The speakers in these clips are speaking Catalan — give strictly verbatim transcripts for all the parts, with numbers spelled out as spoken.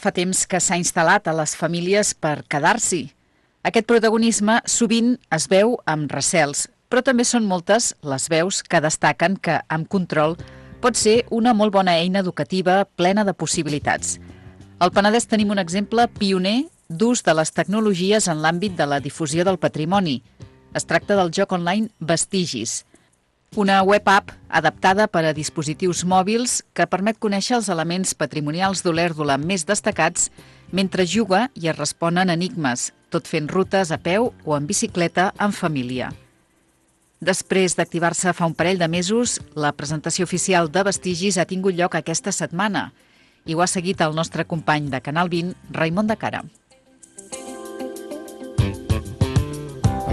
fa temps que s'ha instal·lat a les famílies per quedar-s'hi. Aquest protagonisme sovint es veu amb recels, però també són moltes les veus que destaquen que, amb control, pot ser una molt bona eina educativa plena de possibilitats. Al Penedès tenim un exemple pioner d'ús de les tecnologies en l'àmbit de la difusió del patrimoni. Es tracta del joc online Vestigis, una web app adaptada per a dispositius mòbils que permet conèixer els elements patrimonials d'Olèrdola més destacats mentre juga i es responen enigmes, tot fent rutes a peu o en bicicleta en família. Després d'activar-se fa un parell de mesos, la presentació oficial de Vestigis ha tingut lloc aquesta setmana i ho ha seguit el nostre company de Canal vint, Raimon de Cara.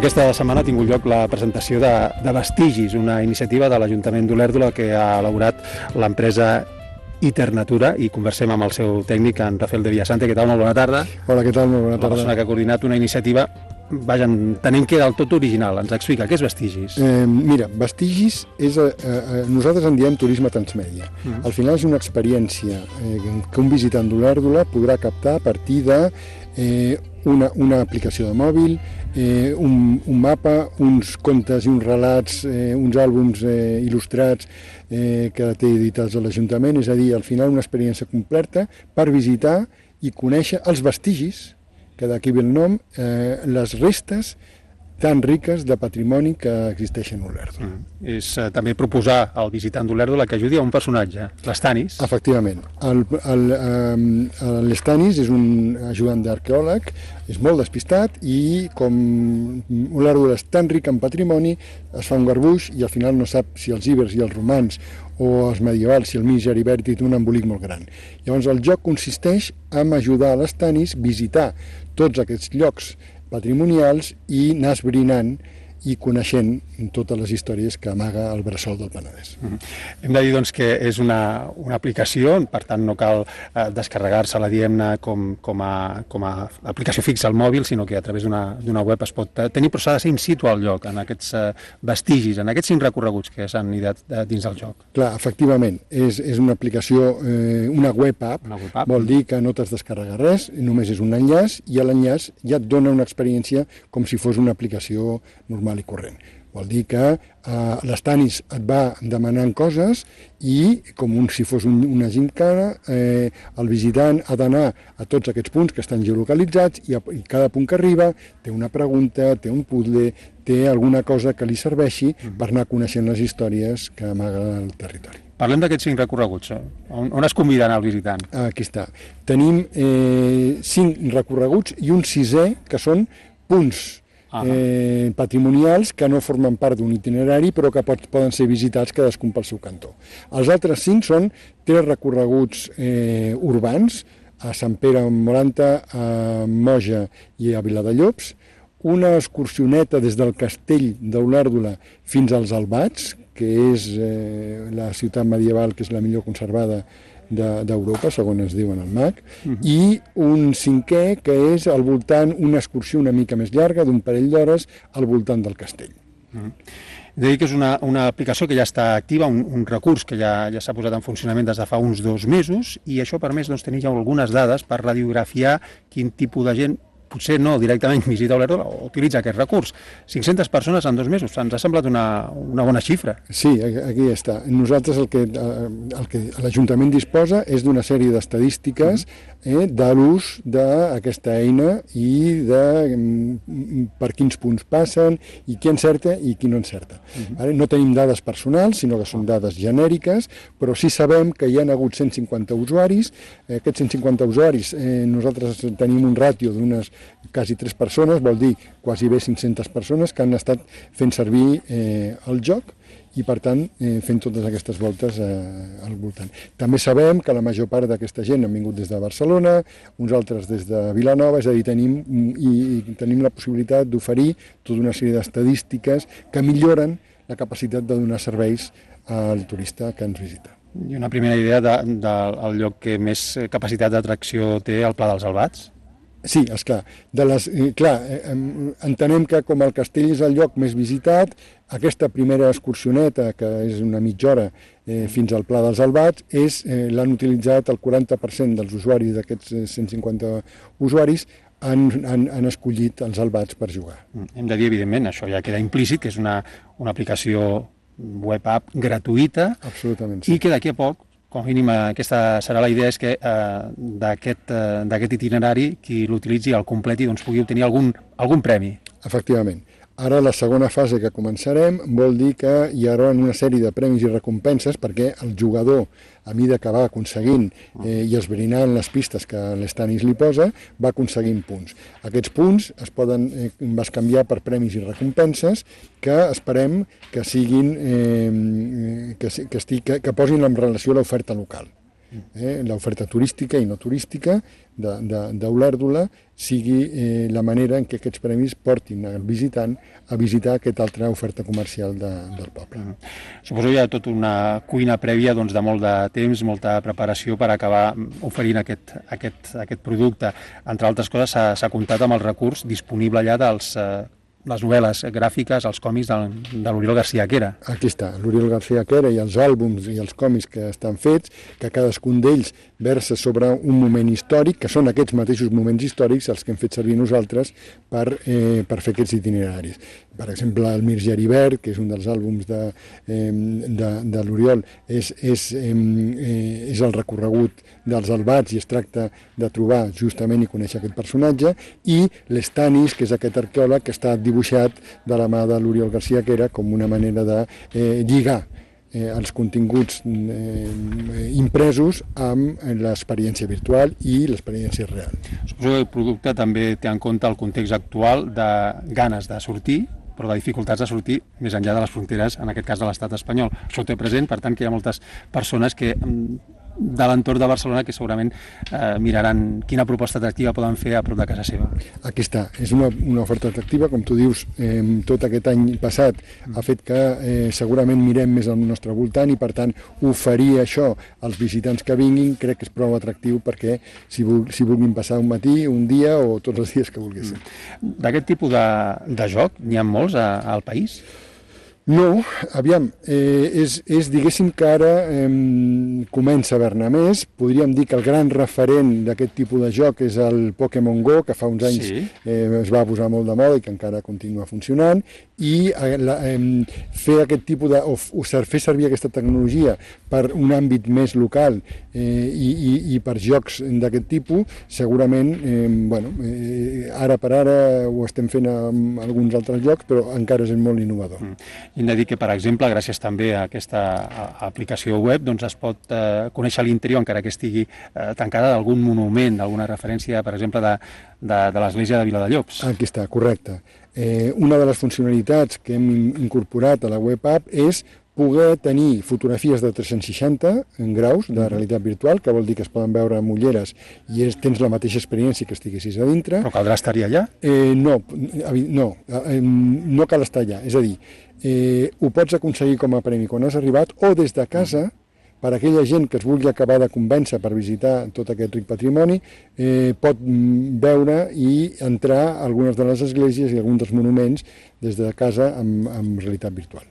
Aquesta setmana ha tingut lloc la presentació de, de Vestigis, una iniciativa de l'Ajuntament d'Olèrdola que ha elaborat l'empresa Iternatura, i conversem amb el seu tècnic, en Rafael de Villasante. Què tal? Molt bona tarda. Hola, què tal? Molt bona tarda. La persona que ha coordinat una iniciativa, vaja, entenem que del tot original. Ens explica, què és Vestigis? Eh, mira, Vestigis és, eh, eh, nosaltres en diem turisme transmèdia. Mm. Al final és una experiència eh, que un visitant d'Olèrdola podrà captar a partir de eh, una, una aplicació de mòbil, eh, un, un mapa, uns contes i uns relats, eh, uns àlbums eh, il·lustrats eh, que té editats a l'Ajuntament, és a dir, al final una experiència completa per visitar i conèixer els vestigis, que d'aquí ve el nom, eh, les restes tan riques de patrimoni que existeixen a Olèrdola. Mm. És eh, també proposar al visitant d'Olèrdola que ajudi a un personatge, l'Stanis. Efectivament. El, el, eh, L'Stanis és un ajudant d'arqueòleg, és molt despistat i com Olèrdola és tan ric en patrimoni, es fa un garbuix i al final no sap si els ibers i els romans o els medievals, si el mig Heribèrtic té un embolic molt gran. Llavors el joc consisteix en ajudar a l'Stanis a visitar tots aquests llocs patrimonials i anar esbrinant i coneixent totes les històries que amaga el bressol del Penedès. Mm-hmm. Hem de dir doncs, que és una, una aplicació, per tant no cal eh, descarregar-se-la, diguem-ne, com, com, a, com a aplicació fixa al mòbil, sinó que a través d'una web es pot tenir, però s'ha de ser in situ al lloc, en aquests eh, vestigis, en aquests cinc recorreguts que s'han ideat eh, dins del joc. Clar, efectivament, és, és una aplicació, eh, una web app, una web app, vol dir que no t'has descarregat res, només és un enllaç, i a l'enllaç ja et dona una experiència com si fos una aplicació normal i corrent. Vol dir que eh, l'Stanis et va demanant coses i, com un, si fos un, una gincana, eh, el visitant ha d'anar a tots aquests punts que estan geolocalitzats i, a, i cada punt que arriba té una pregunta, té un puzzle, té alguna cosa que li serveixi per anar coneixent les històries que amaga el territori. Parlem d'aquests cinc recorreguts. On, on es convida a anar el visitant? Aquí està. Tenim eh, cinc recorreguts i un sisè que són punts Eh, patrimonials que no formen part d'un itinerari però que pot, poden ser visitats cadascun pel seu cantó. Els altres cinc són tres recorreguts eh, urbans a Sant Pere Moranta, a Moja i a Viladellobs, una excursioneta des del castell d'Olèrdola fins als Albats, que és eh, la ciutat medieval que és la millor conservada d'Europa, segons ens diuen el M A C, uh-huh. i un cinquè que és al voltant, una excursió una mica més llarga, d'un parell d'hores, al voltant del castell. Uh-huh. He de dir que és una, una aplicació que ja està activa, un, un recurs que ja, ja s'ha posat en funcionament des de fa uns dos mesos, i això ha permès doncs, tenir ja algunes dades per radiografiar quin tipus de gent potser no directament visita Olèrdola o utilitza aquest recurs. cinc-centes persones en dos mesos, ens ha semblat una, una bona xifra. Sí, aquí està. Nosaltres el que, el que l'Ajuntament disposa és d'una sèrie d'estadístiques eh, de l'ús d'aquesta eina i de per quins punts passen i qui encerta i qui no encerta. Uh-huh. No tenim dades personals, sinó que són dades genèriques, però sí sabem que hi ha hagut cent cinquanta usuaris. Aquests cent cinquanta usuaris, eh, nosaltres tenim un ràtio d'unes quasi tres persones, vol dir quasi bé cinc-centes persones que han estat fent servir eh, el joc i, per tant, eh, fent totes aquestes voltes eh, al voltant. També sabem que la major part d'aquesta gent han vingut des de Barcelona, uns altres des de Vilanova, és a dir, tenim, i, i tenim la possibilitat d'oferir tota una sèrie d'estadístiques que milloren la capacitat de donar serveis al turista que ens visita. I una primera idea del de, de, lloc que més capacitat d'atracció té el Pla dels Albats? Sí, esclar. De les, clar, entenem que com el castell és el lloc més visitat, aquesta primera excursioneta, que és una mitja hora eh, fins al Pla dels Albats, és eh, l'han utilitzat el quaranta per cent dels usuaris d'aquests cent cinquanta usuaris han, han, han escollit els Albats per jugar. Hem de dir, evidentment, això ja queda implícit, que és una, una aplicació web app gratuïta. Absolutament, sí. I que d'aquí a poc, com a mínim aquesta serà la idea, és que eh, d'aquest eh, itinerari qui l'utilitzi, el completi, doncs pugui obtenir algun, algun premi. Efectivament. Ara la segona fase que començarem vol dir que hi haurà una sèrie de premis i recompenses perquè el jugador, a mesura que va aconseguint eh, i esbrinant les pistes que l'Stanis li posa, va aconseguint punts. Aquests punts es poden eh, bescanviar per premis i recompenses que esperem que siguin eh, que, que, estigui, que, que posin en relació a l'oferta local. Eh, l'oferta turística i no turística d'Olèrdola sigui eh, la manera en què aquests premis portin al visitant a visitar aquesta altra oferta comercial de, del poble. Mm. Suposo que hi ha tota una cuina prèvia doncs, de molt de temps, molta preparació per acabar oferint aquest, aquest, aquest producte. Entre altres coses, s'ha comptat amb el recurs disponible allà dels eh, les novel·les gràfiques, els còmics de, de l'Oriol García Quera. Aquí està, l'Oriol García Quera i els àlbums i els còmics que estan fets, que cadascun d'ells versa sobre un moment històric, que són aquests mateixos moments històrics els que hem fet servir nosaltres per, eh, per fer aquests itineraris. Per exemple, el Mir Geribert, que és un dels àlbums de, eh, de, de l'Oriol, és, és, eh, és el recorregut dels Albats i es tracta de trobar justament i conèixer aquest personatge, i l'Stanis, que és aquest arqueòleg que està dibuixat de la mà de l'Oriol García Quera com una manera de eh, lligar eh, els continguts eh, impresos amb l'experiència virtual i l'experiència real. Suposo que el producte també té en compte el context actual de ganes de sortir, però de dificultats de sortir més enllà de les fronteres, en aquest cas de l'estat espanyol. Això ho té present, per tant, que hi ha moltes persones que de l'entorn de Barcelona que segurament eh, miraran quina proposta atractiva poden fer a prop de casa seva. Aquí està, és una, una oferta atractiva, com tu dius, eh, tot aquest any passat ha fet que eh, segurament mirem més al nostre voltant i per tant oferir això als visitants que vinguin crec que és prou atractiu perquè si, vul, si vulguin passar un matí, un dia o tots els dies que vulguessin. D'aquest tipus de, de joc n'hi ha molts a, al país? No, aviam, eh, és, és diguéssim que ara eh, comença a haver-ne més. Podríem dir que el gran referent d'aquest tipus de joc és el Pokémon Go, que fa uns anys sí. eh, es va posar molt de moda i que encara continua funcionant, i eh, la, eh, fer aquest tipus de, o, o fer servir aquesta tecnologia per un àmbit més local eh, i, i, i per jocs d'aquest tipus, segurament, eh, bueno, eh, ara per ara ho estem fent amb alguns altres jocs, però encara és molt innovador. Mm. Hem de dir que, per exemple, gràcies també a aquesta aplicació web, doncs es pot eh, conèixer l'interior, encara que estigui eh, tancada, d'algun monument, d'alguna referència, per exemple, de, de, de l'església de Viladallops. Aquí està, correcte. Eh, una de les funcionalitats que hem incorporat a la web app és poder tenir fotografies de tres-cents seixanta graus de realitat virtual, que vol dir que es poden veure amb ulleres i és, tens la mateixa experiència que estiguessis a dintre. Però caldrà estar-hi allà? Eh, no, no, eh, no cal estar allà. És a dir, eh, ho pots aconseguir com a premi quan has arribat o des de casa, per a aquella gent que es vulgui acabar de convèncer per visitar tot aquest ric patrimoni, eh, pot veure i entrar a algunes de les esglésies i alguns dels monuments des de casa amb, amb realitat virtual.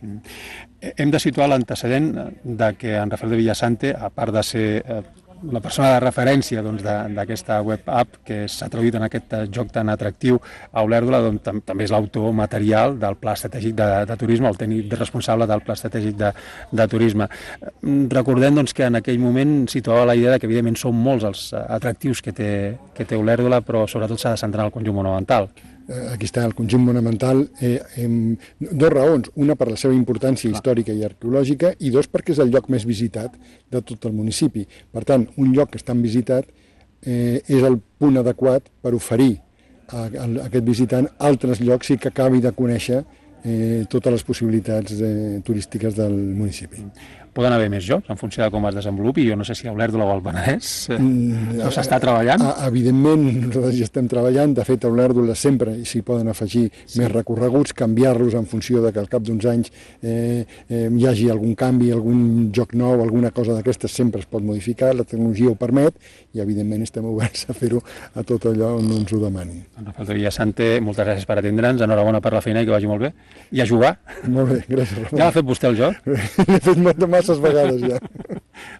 Hem de situar l'antecedent de que en Rafael de Villasante, a part de ser eh, la persona de referència doncs, d'aquesta web app que s'ha traduït en aquest joc tan atractiu a Olèrdola, doncs, tam també és l'autor material del Pla Estratègic de, de Turisme, el tècnic responsable del Pla Estratègic de, de Turisme. Recordem doncs, que en aquell moment situava la idea de que evidentment són molts els atractius que té, que té Olèrdola, però sobretot s'ha de centrar en el conjunt monumental. Aquí està el conjunt monumental, eh, eh, dos raons, una per la seva importància històrica i arqueològica i dos perquè és el lloc més visitat de tot el municipi. Per tant, un lloc que és tan visitat eh, és el punt adequat per oferir a, a, a aquest visitant altres llocs i que acabi de conèixer eh, totes les possibilitats eh, turístiques del municipi. Poden haver més jocs en funció de com es desenvolupi. Jo no sé si a Olèrdola o al Penedès eh, no s'està treballant. Evidentment, nosaltres hi estem treballant. De fet, a Olèrdola sempre s'hi poden afegir sí. més recorreguts, canviar-los en funció de que al cap d'uns anys eh, eh, hi hagi algun canvi, algun joc nou, alguna cosa d'aquestes sempre es pot modificar, la tecnologia ho permet i evidentment estem oberts a fer-ho a tot allò on ens ho demanin. Rafael Villasante, moltes gràcies per atendre'ns, enhorabona per la feina i que vagi molt bé. I a jugar. Molt bé, gràcies. Ramon. Ja l'ha fet vostè el joc? L'he fet masses vegades ja.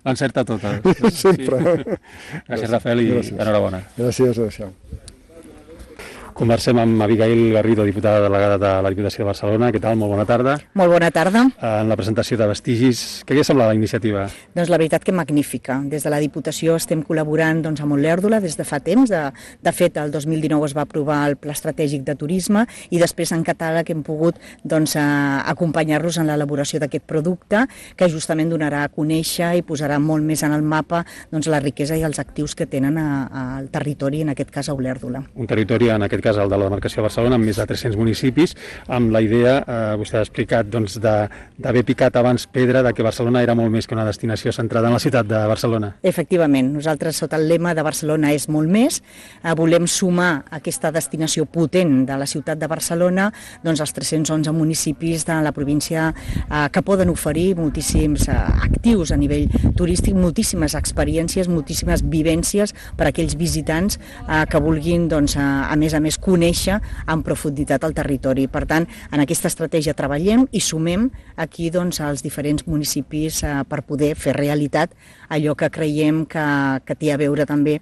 L'encerta tota. Sempre. Sí. Gràcies, Rafael, i gràcies. Enhorabona. Gràcies, adéu. Conversem amb Abigail Garrido, diputada delegada de la Diputació de Barcelona. Què tal? Molt bona tarda. Molt bona tarda. En la presentació de vestigis, què li ha semblat la iniciativa? Doncs la veritat que magnífica. Des de la Diputació estem col·laborant doncs, amb Olèrdola des de fa temps. De, de fet, el dos mil dinou es va aprovar el Pla Estratègic de Turisme i després en catàleg hem pogut doncs, acompanyar-los en l'elaboració d'aquest producte que justament donarà a conèixer i posarà molt més en el mapa doncs, la riquesa i els actius que tenen al territori, en aquest cas a Olèrdola. Un territori, en aquest cas el de la demarcació de Barcelona, amb més de tres-cents municipis, amb la idea, eh, vostè ha explicat, doncs, d'haver picat abans pedra de que Barcelona era molt més que una destinació centrada en la ciutat de Barcelona. Efectivament, nosaltres sota el lema de Barcelona és molt més, eh, volem sumar aquesta destinació potent de la ciutat de Barcelona doncs, als tres-cents onze municipis de la província eh, que poden oferir moltíssims eh, actius a nivell turístic, moltíssimes experiències, moltíssimes vivències per a aquells visitants eh, que vulguin, doncs, a, a més a més, conèixer en profunditat el territori. Per tant, en aquesta estratègia treballem i sumem aquí doncs, als diferents municipis eh, per poder fer realitat allò que creiem que, que té a veure també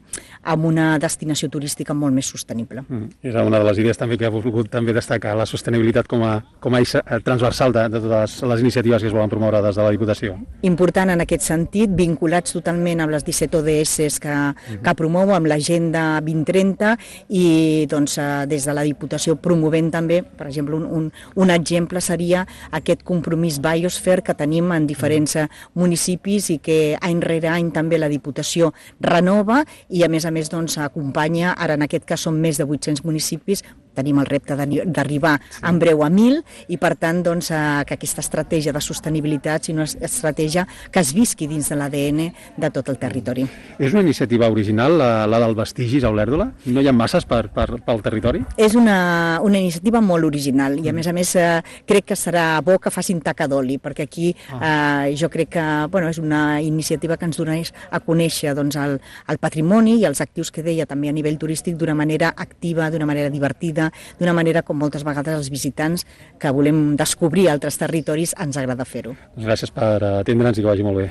amb una destinació turística molt més sostenible. Mm. És una de les idees també que ha volgut també destacar la sostenibilitat com a, com a eix transversal de, de totes les iniciatives que es volen promoure des de la Diputació. Important en aquest sentit, vinculats totalment amb les disset O D S que, mm-hmm. que promou, amb l'Agenda vint trenta i doncs, des de la Diputació promovent també, per exemple, un, un, un exemple seria aquest compromís Biosphere que tenim en diferents municipis i que any rere any també la Diputació renova i a més a més doncs, acompanya, ara en aquest cas són més de vuit-cents municipis, tenim el repte d'arribar sí. en breu a mil i per tant doncs, que aquesta estratègia de sostenibilitat sigui una estratègia que es visqui dins de l'A D N de tot el territori. És una iniciativa original, la, la del vestigis a Olèrdola? No hi ha masses per, per, pel territori? És una, una iniciativa molt original i a més a més eh, crec que serà bo que facin taca d'oli perquè aquí eh, jo crec que bueno, és una iniciativa que ens donés a conèixer doncs, el, el patrimoni i els actius que deia també a nivell turístic d'una manera activa, d'una manera divertida, d'una manera com moltes vegades els visitants que volem descobrir altres territoris ens agrada fer-ho. Gràcies per atendre'ns i que vagi molt bé.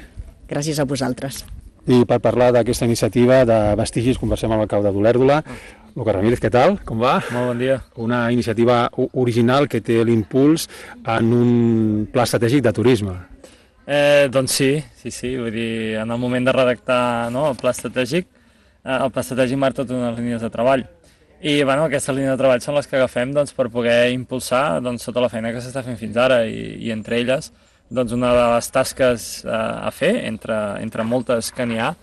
Gràcies a vosaltres. I per parlar d'aquesta iniciativa de vestigis conversem amb l'alcalde d'Olèrdola. Lucas Ramírez, què tal? Com va? Molt bon dia. Una iniciativa original que té l'impuls en un pla estratègic de turisme. Eh, doncs sí, sí, sí, vull dir, en el moment de redactar no, el pla estratègic, eh, el pla estratègic marca totes unes línies de treball. I bueno, aquestes línies de treball són les que agafem doncs, per poder impulsar doncs, tota la feina que s'està fent fins ara i, i entre elles doncs, una de les tasques eh, a fer, entre, entre moltes que n'hi ha,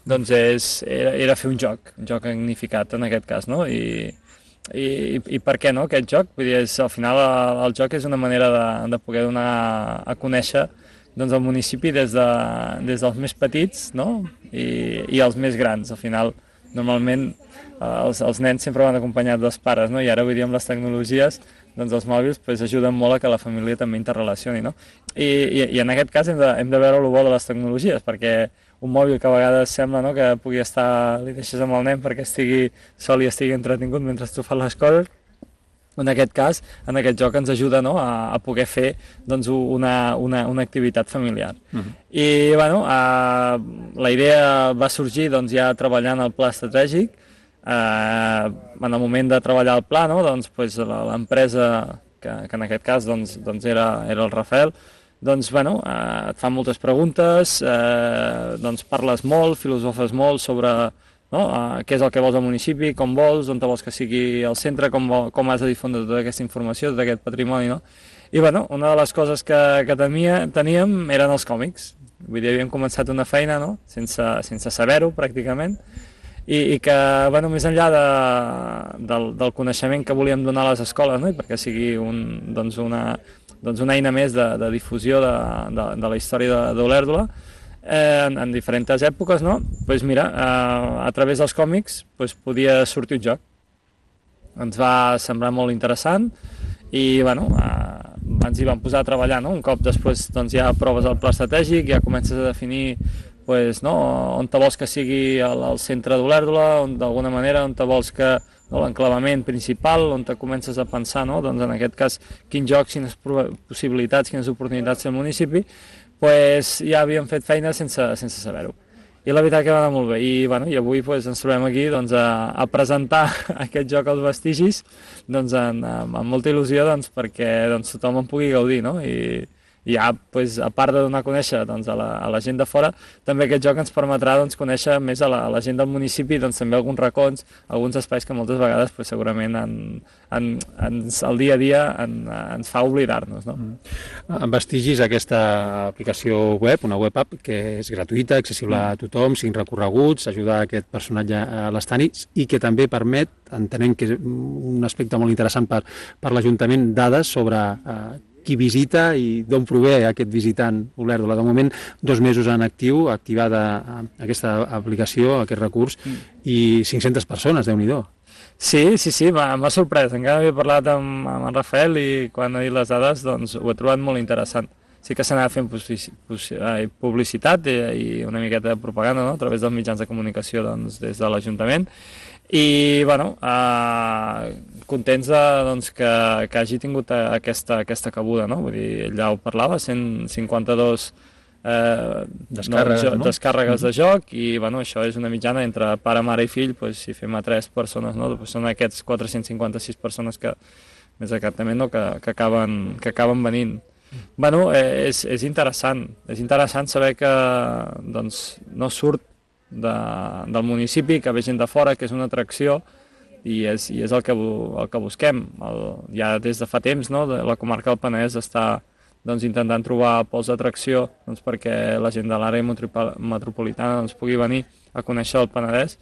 doncs és, era, era fer un joc, un joc magnificat en aquest cas, no? I, i, i per què no, aquest joc? Vull dir, és, al final el, el joc és una manera de, de poder donar a conèixer doncs, el municipi des, de, des dels més petits no? I, i els més grans. Al final, normalment, els, els nens sempre van acompanyats dels pares, no? I ara, vull dir, amb les tecnologies, doncs els mòbils pues, ajuden molt a que la família també interrelacioni, no? I, i, i en aquest cas hem de, hem de veure el bo de les tecnologies, perquè un mòbil que a vegades sembla no, que pugui estar, li deixes amb el nen perquè estigui sol i estigui entretingut mentre tu fas les coses, en aquest cas, en aquest joc ens ajuda no, a, a poder fer doncs, una, una, una activitat familiar. Uh-huh. I bueno, eh, la idea va sorgir doncs, ja treballant el pla estratègic. Eh, en el moment de treballar el pla, no, doncs, pues, l'empresa, que, que en aquest cas doncs, doncs era, era el Rafael, doncs, bueno, eh, et fan moltes preguntes, eh, doncs parles molt, filosofes molt sobre no? Uh, què és el que vols al municipi, com vols, on te vols que sigui el centre, com, vol, com has de difondre tota aquesta informació, tot aquest patrimoni, no? I bueno, una de les coses que, que temia, teníem eren els còmics. Vull dir, havíem començat una feina, no? Sense, sense saber-ho, pràcticament, i, i que, bueno, més enllà de, del, del coneixement que volíem donar a les escoles, no? I perquè sigui un, doncs una, doncs una eina més de, de difusió de, de, de la història d'Olèrdola eh, en, en diferents èpoques, no? Pues mira, eh, a través dels còmics pues, podia sortir un joc. Ens va semblar molt interessant i bueno, eh, ens hi vam posar a treballar, no? Un cop després doncs, ja proves el pla estratègic, ja comences a definir pues, no, on te vols que sigui el, el centre d'Olèrdola, d'alguna manera, on te vols que no, l'enclavament principal, on te comences a pensar, no? Doncs en aquest cas, quins jocs, quines possibilitats, quines oportunitats té el municipi, pues, ja havíem fet feina sense, sense saber-ho. I la veritat que va anar molt bé. I, bueno, i avui pues, ens trobem aquí doncs, a, a presentar aquest joc als vestigis doncs, en, amb, amb molta il·lusió doncs, perquè doncs, tothom en pugui gaudir. No? I, i ja, pues, a part de donar a conèixer doncs, a, la, a la gent de fora, també aquest joc ens permetrà doncs, conèixer més a la, a la gent del municipi, doncs, també alguns racons, alguns espais que moltes vegades pues, segurament en, en, ens, el dia a dia en, ens fa oblidar-nos. No? En Vestigis, aquesta aplicació web, una web app que és gratuïta, accessible a tothom, cinc recorreguts, ajuda a aquest personatge a l'estany i que també permet, entenem que és un aspecte molt interessant per, per l'Ajuntament, dades sobre eh, qui visita i d'on prové aquest visitant Olèrdola. De moment, dos mesos en actiu, activada aquesta aplicació, aquest recurs, mm. i cinc-centes persones, Déu-n'hi-do. Sí, sí, sí, m'ha sorprès. Encara havia parlat amb, amb en Rafael i quan ha dit les dades doncs, ho he trobat molt interessant. Sí que s'anava fent publicitat i, i una miqueta de propaganda, no? A través dels mitjans de comunicació doncs, des de l'Ajuntament. I, bueno, eh, contents de, doncs, que, que hagi tingut aquesta, aquesta cabuda, no? Vull dir, ella ho parlava, cent cinquanta-dos eh, descàrregues, no, no? descàrregues mm-hmm. de joc i, bueno, això és una mitjana entre pare, mare i fill, pues, si fem a tres persones, no? Pues són aquests quatre-cents cinquanta-sis persones que, més exactament, no? que, que, acaben, que acaben venint. Bueno, eh, és, és interessant, és interessant saber que doncs, no surt de, del municipi, que ve gent de fora, que és una atracció i és, i és el, que, el que busquem. El, ja des de fa temps, no, de la comarca del Penedès està doncs, intentant trobar pols d'atracció doncs, perquè la gent de l'àrea metropolitana doncs, pugui venir a conèixer el Penedès.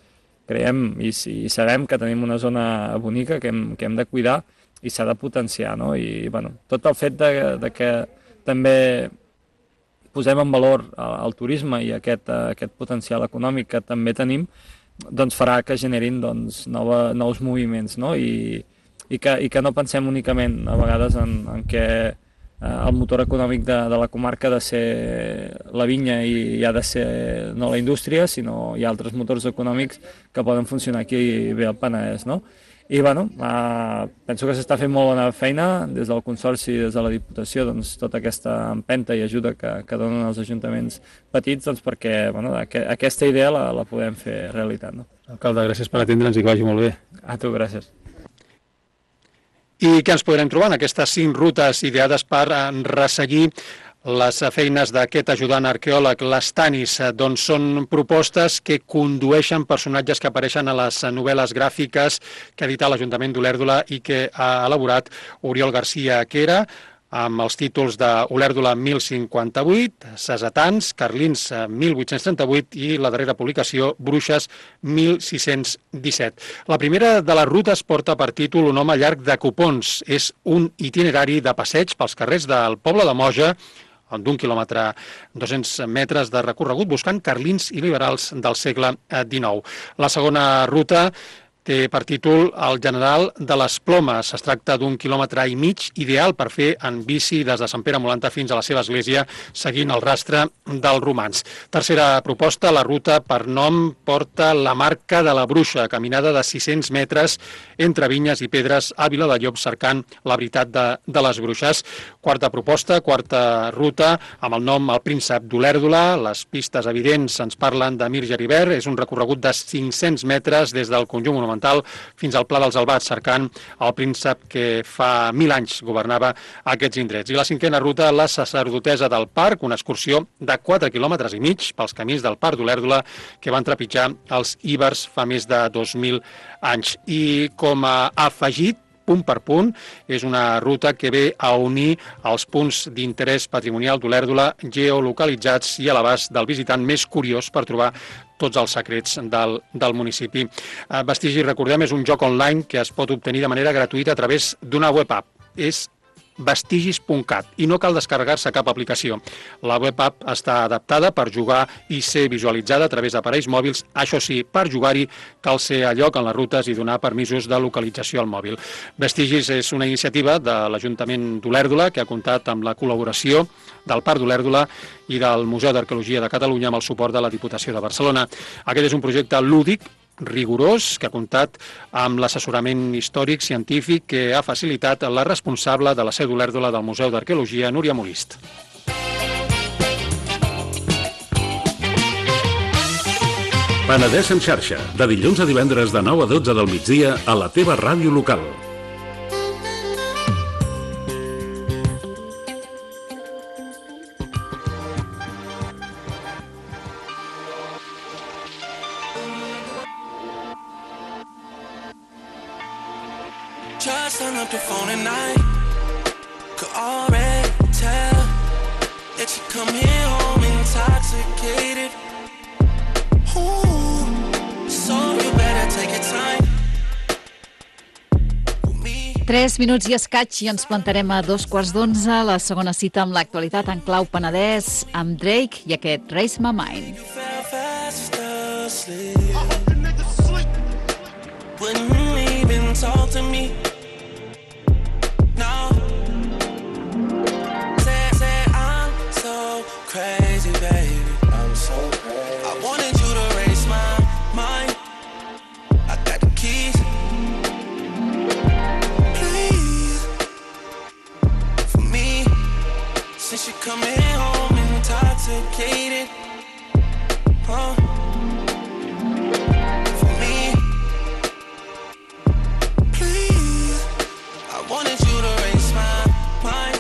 Creiem i, i sabem que tenim una zona bonica que hem, que hem de cuidar i s'ha de potenciar. No? I bueno, tot el fet de, de que també posem en valor el, el turisme i aquest, aquest potencial econòmic que també tenim, doncs farà que generin doncs, nova, nous moviments, no? I, i, que, i que no pensem únicament a vegades en, en què eh, el motor econòmic de, de la comarca ha de ser la vinya i, i ha de ser no la indústria, sinó hi ha altres motors econòmics que poden funcionar aquí bé al Penedès, no? I bueno, eh, penso que s'està fent molt bona feina des del Consorci, des de la Diputació, doncs, tota aquesta empenta i ajuda que, que donen els ajuntaments petits doncs, perquè bueno, aqu aquesta idea la, la podem fer realitat. No? Alcalde, gràcies per atendre'ns i que vagi molt bé. A tu, gràcies. I què ens podrem trobar en aquestes cinc rutes ideades per resseguir les feines d'aquest ajudant arqueòleg, les Tanis? Doncs són propostes que condueixen personatges que apareixen a les novel·les gràfiques que ha editat l'Ajuntament d'Olèrdola i que ha elaborat Oriol García Quera, amb els títols de Olèrdola mil cinquanta-vuit, Cesetans, Carlins mil vuit-cents trenta-vuit i la darrera publicació Bruixes mil sis-cents disset. La primera de les rutes porta per títol Un home llarg de copons. És un itinerari de passeig pels carrers del poble de Moja, d'un quilòmetre, dos-cents metres de recorregut, buscant carlins i liberals del segle dinou. La segona ruta té per títol El general de les plomes. Es tracta d'un quilòmetre i mig ideal per fer en bici des de Sant Pere Molanta fins a la seva església, seguint el rastre dels romans. Tercera proposta, la ruta per nom porta La marca de la bruixa, caminada de sis-cents metres entre vinyes i pedres a Viladellobs cercant la veritat de, de les bruixes. Quarta proposta, quarta ruta, amb el nom El príncep d'Olèrdola. Les pistes evidents ens parlen de Mir Geribert. És un recorregut de cinc-cents metres des del conjunt monumental fins al Pla dels Albats, cercant el príncep que fa mil anys governava aquests indrets. I la cinquena ruta, la sacerdotessa del parc, una excursió de quatre quilòmetres i mig pels camins del parc d'Olèrdola que van trepitjar els íbers fa més de dos mil anys. I com a afegit, punt per punt, és una ruta que ve a unir els punts d'interès patrimonial d'Olèrdola geolocalitzats i a l'abast del visitant més curiós per trobar tots els secrets del, del municipi. Vestigi, recordem, és un joc online que es pot obtenir de manera gratuïta a través d'una web app. És vestigis punt cat i no cal descarregar-se cap aplicació. La web app està adaptada per jugar i ser visualitzada a través d'aparells mòbils. Això sí, per jugar-hi cal ser a lloc en les rutes i donar permisos de localització al mòbil. Vestigis és una iniciativa de l'Ajuntament d'Olèrdola que ha comptat amb la col·laboració del Parc d'Olèrdola i del Museu d'Arqueologia de Catalunya amb el suport de la Diputació de Barcelona. Aquest és un projecte lúdic, rigorós, que ha comptat amb l'assessorament històric científic que ha facilitat la responsable de la seu d'Olèrdola del Museu d'Arqueologia, Núria Molist. Penedès en xarxa, de dilluns a divendres de nou a dotze del migdia a la teva ràdio local. Just hung up the phone at night. Could already tell that you come here home intoxicated. Ooh, so you better take your time. Tres minuts i escaig i ens plantarem a dos quarts d'onze, la segona cita amb l'actualitat en clau Penedès, amb Drake i aquest Raise My Mind. You fell fast asleep. I hope the niggas sleep. Wouldn't even talk to me. No. Say, say I'm so crazy, baby. I'm so crazy. I wanted you to raise my mind. I got the keys. Please, for me, since you're coming home intoxicated, huh? For me, please, I wanted you to raise my mind.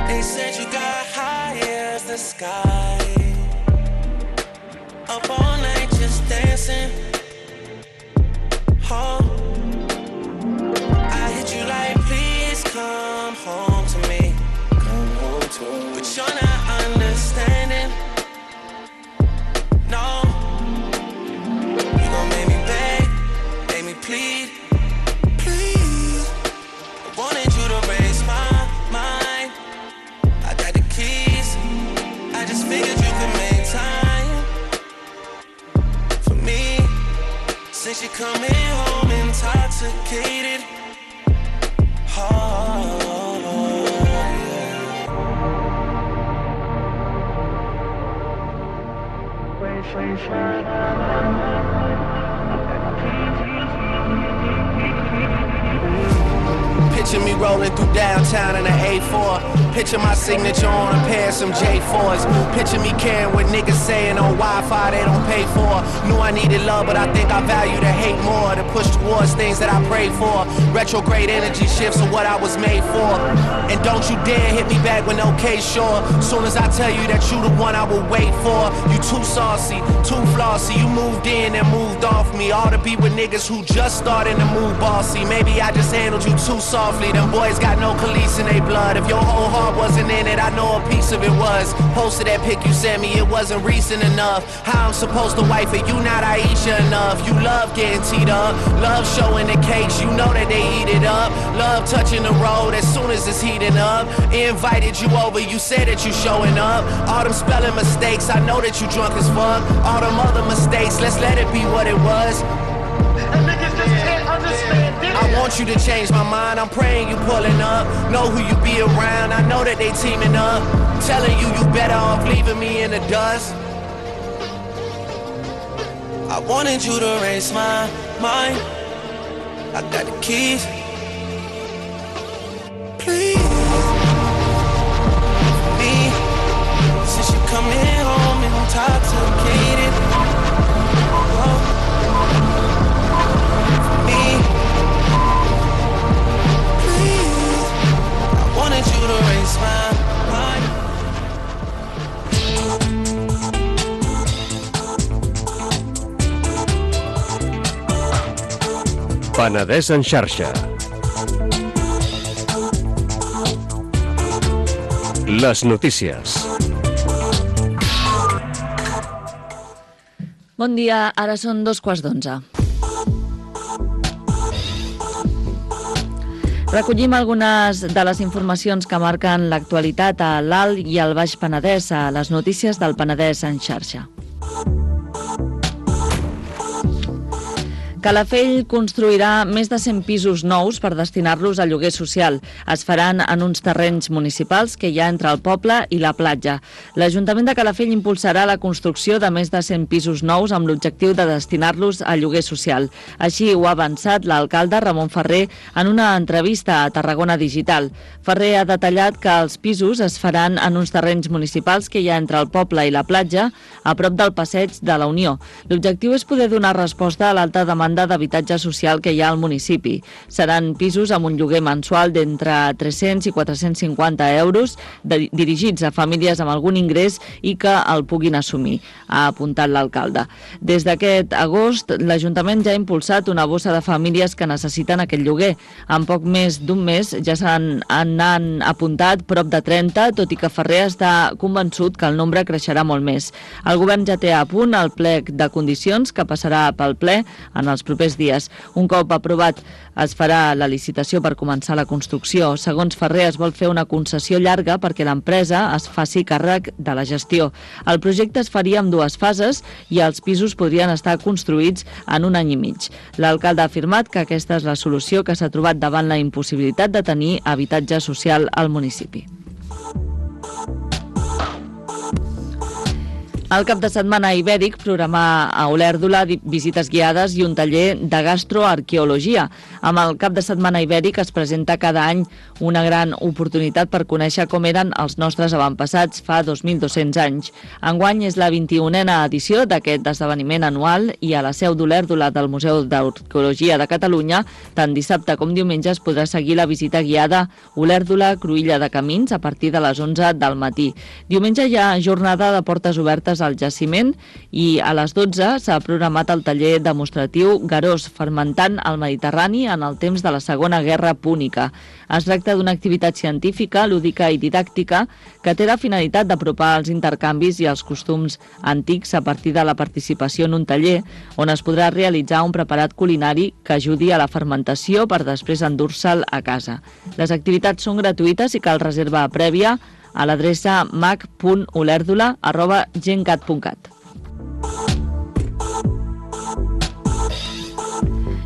They said you got high as the sky, up all night just dancing. Oh, I hit you like, please come home to me. Come home to me. But you're not understanding. No, you gon' make me beg, make me plead. Please, I wanted you to raise my mind. I got the keys. I just figured you could make time for me. Since you're coming home intoxicated. Oh, yeah. Picture me rolling through downtown in an A four. Picture my signature on a pair of some J fours. Picture me caring what niggas saying on Wi-Fi they don't pay for. Knew I needed love, but I think I value the hate more. To push towards things that I prayed for. Retrograde energy shifts are what I was made for. And don't you dare hit me back when okay, sure. Soon as I tell you that you the one I will wait for. You too saucy, too flossy. You moved in and moved off me. All to be with niggas who just starting to move bossy. Maybe I just handled you too softly. Them boys got no Khalees in they blood. If your whole heart wasn't in it, I know a piece of it was. Posted that pic you sent me, it wasn't recent enough. How I'm supposed to wife it, you not Aisha enough. You love getting teed up, love showing the cakes, you know that they eat it up. Love touching the road as soon as it's heating up. Invited you over, you said that you showing up. All them spelling mistakes, I know that you drunk as fuck. All them other mistakes, let's let it be what it was. And niggas just can't understand this. I want you to change my mind, I'm praying you pulling up. Know who you be around, I know that they teaming up. Telling you you better off leaving me in the dust. I wanted you to raise my mind. I got the keys. Please, for me, since you coming home intoxicated. Oh. Wanted you to raise my mind. Penedès en xarxa. Les notícies. Bon dia, ara són dos quarts d'onze. Recollim algunes de les informacions que marquen l'actualitat a l'Alt i al Baix Penedès a les notícies del Penedès en xarxa. Calafell construirà més de cent pisos nous per destinar-los a lloguer social. Es faran en uns terrenys municipals que hi ha entre el poble i la platja. L'Ajuntament de Calafell impulsarà la construcció de més de cent pisos nous amb l'objectiu de destinar-los a lloguer social. Així ho ha avançat l'alcalde Ramon Ferrer en una entrevista a Tarragona Digital. Ferrer ha detallat que els pisos es faran en uns terrenys municipals que hi ha entre el poble i la platja, a prop del passeig de la Unió. L'objectiu és poder donar resposta a l'alta demanda d'habitatge social que hi ha al municipi. Seran pisos amb un lloguer mensual d'entre tres-cents i quatre-cents cinquanta euros de, dirigits a famílies amb algun ingrés i que el puguin assumir, ha apuntat l'alcalde. Des d'aquest agost, l'Ajuntament ja ha impulsat una bossa de famílies que necessiten aquest lloguer. En poc més d'un mes ja s'han han apuntat prop de trenta, tot i que Ferrer està convençut que el nombre creixerà molt més. El govern ja té a punt el plec de condicions que passarà pel ple en els propers dies. Un cop aprovat, es farà la licitació per començar la construcció. Segons Ferrer, es vol fer una concessió llarga perquè l'empresa es faci càrrec de la gestió. El projecte es faria en dues fases i els pisos podrien estar construïts en un any i mig. L'alcalde ha afirmat que aquesta és la solució que s'ha trobat davant la impossibilitat de tenir habitatge social al municipi. El cap de setmana ibèric programà a Olèrdola visites guiades i un taller de gastroarqueologia. Amb el cap de setmana ibèric es presenta cada any una gran oportunitat per conèixer com eren els nostres avantpassats fa dos mil dos-cents anys. Enguany és la vint-i-unena edició d'aquest esdeveniment anual i a la seu d'Olèrdola del Museu d'Arqueologia de Catalunya, tant dissabte com diumenge es podrà seguir la visita guiada Olèrdola Cruïlla de Camins a partir de les onze del matí. Diumenge hi ha jornada de portes obertes al jaciment i a les dotze s'ha programat el taller demostratiu Garós fermentant al Mediterrani en el temps de la Segona Guerra Púnica. Es tracta d'una activitat científica, lúdica i didàctica que té la finalitat d'apropar els intercanvis i els costums antics a partir de la participació en un taller on es podrà realitzar un preparat culinari que ajudi a la fermentació per després endur-se'l a casa. Les activitats són gratuïtes i cal reserva prèvia a l'adreça mac punt olèrdola arroba gencat punt cat.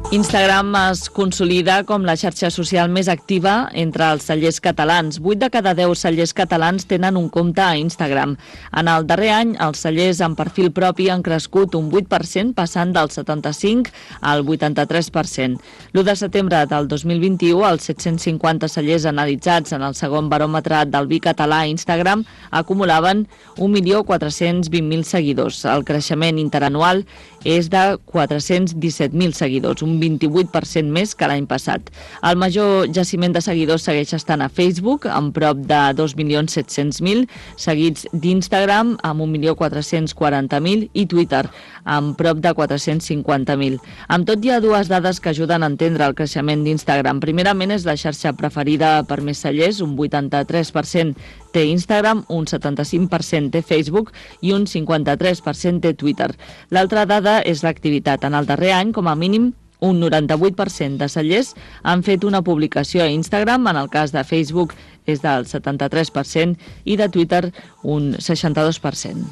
Instagram es consolida com la xarxa social més activa entre els cellers catalans. vuit de cada deu cellers catalans tenen un compte a Instagram. En el darrer any, els cellers amb perfil propi han crescut un vuit per cent, passant del setanta-cinc al vuitanta-tres per cent. l'u de setembre del dos mil vint-i-u, els set-cents cinquanta cellers analitzats en el segon baròmetre del vi català a Instagram acumulaven un milió quatre-cents vint mil seguidors. El creixement interanual és de quatre-cents disset mil seguidors, un vint-i-vuit per cent més que l'any passat. El major jaciment de seguidors segueix estant a Facebook, amb prop de dos milions set-cents mil, seguits d'Instagram, amb un milió quatre-cents quaranta mil, i Twitter, amb prop de quatre-cents cinquanta mil. Amb tot, hi ha dues dades que ajuden a entendre el creixement d'Instagram. Primerament, és la xarxa preferida per més cellers, un vuitanta-tres per cent té Instagram, un setanta-cinc per cent té Facebook i un cinquanta-tres per cent té Twitter. L'altra dada és l'activitat. En el darrer any, com a mínim, un noranta-vuit per cent de cellers han fet una publicació a Instagram, en el cas de Facebook és del setanta-tres per cent i de Twitter un seixanta-dos per cent.